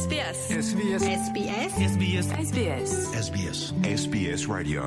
SBS. SBS. SBS. SBS. SBS. SBS. SBS Radio.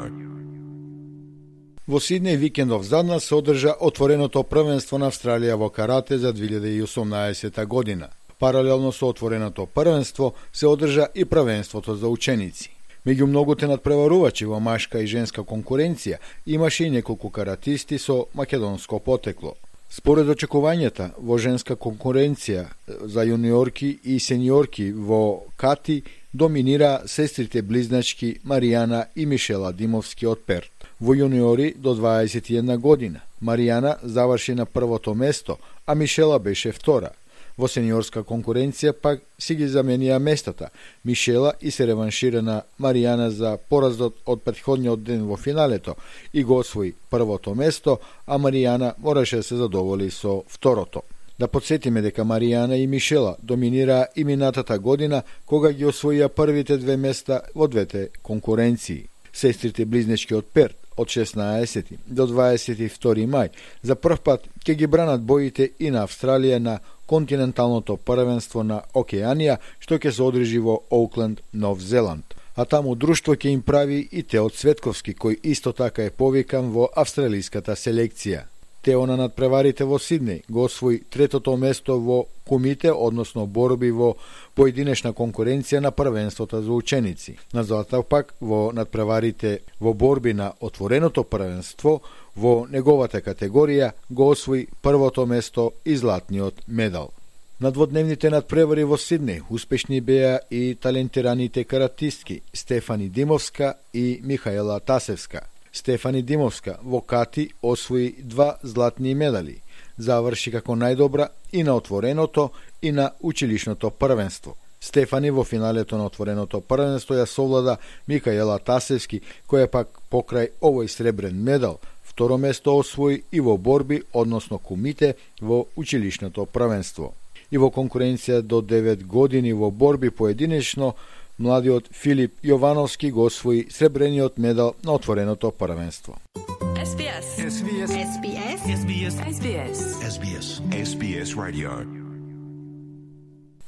Во Сиднеј викендов заднас се одржа отвореното првенство на Австралија во карате за 2018 година. Паралелно со отвореното првенство се одржа и првенството за ученици. Меѓу многуте надпреварувачи во машка и женска конкуренција имаше и неколку каратисти со македонско потекло. Според очекувањата во женска конкуренција за јуниорки и сениорки во кати доминира сестрите близначки Маријана и Мишела Димовски од Перт. Во јуниори до 21 година Маријана заврши на првото место, а Мишела беше втора. Во сениорска конкуренција пак си ги заменија местата Мишела и се реваншира на Маријана за поразот од претходниот ден во финалето и го освои првото место, а Маријана мораше да се задоволи со второто. Да подсетиме дека Маријана и Мишела доминираа и минатата година кога ги освоија првите две места во двете конкуренции. Сестрите близнечки од Перт од 16 до 22 мај за прв пат ќе ги бранат боите и на Австралија на континенталното првенство на Океанија, што ќе се одржи во Оукленд, Нов Зеланд. А таму друштво ќе им прави и Тео Цветковски, кој исто така е повикан во австралиската селекција. Тео на надпреварите во Сиднеј го освои третото место во кумите, односно борби во поединечна конкуренција на првенството за ученици. Назад пак во надпреварите во борби на отвореното првенство во неговата категорија го освои првото место и златниот медал. На дводневните надпревари во Сиднеј успешни беа и талентираните каратистки Стефани Димовска и Михаела Тасевска. Стефани Димовска во кати освои 2 златни медали, заврши како најдобра и на отвореното и на училишното првенство. Стефани во финалето на отвореното првенство ја совлада Михаела Тасевски, која пак покрај овој сребрен медал второ место освои и во борби, односно кумите, во училишното првенство. И во конкуренција до 9 години во борби поединечно, младиот Филип Јовановски го освои сребрениот медал на отвореното првенство. SBS. SBS. SBS. SBS. SBS. SBS. SBS Radio.